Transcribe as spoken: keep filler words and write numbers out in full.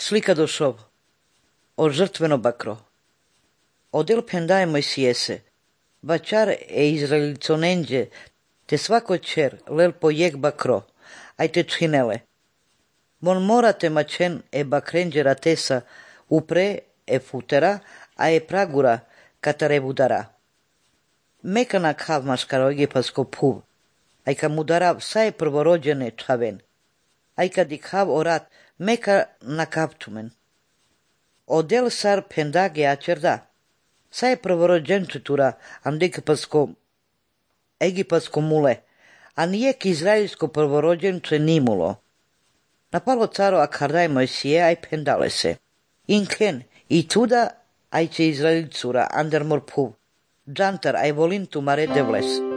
Slika došov o žrtveno bakro. Odel pendaje Mojsiese, bačar e izraeliconenđe, te svako čer lel pojek bakro, aj te činele. Mon morate mačen e bakrenđe ratesa upre e futera, a e pragura katare budara. Mekana kav maškaro egipasko puv, aj ka mudara vsaje prvorođene čaven, aj kad i kav orat meka na kaptumen. Odel sar pendage ačerda, saje prvorođenčetura and egipasko, egipasko mule, a nijek izraelsko prvorođenče nimulo. Napalo caro akardaj Mojsije aj pendale se. Inken i tuda aj će Izraelcura ander mor puv, džantar aj volintu mare devles.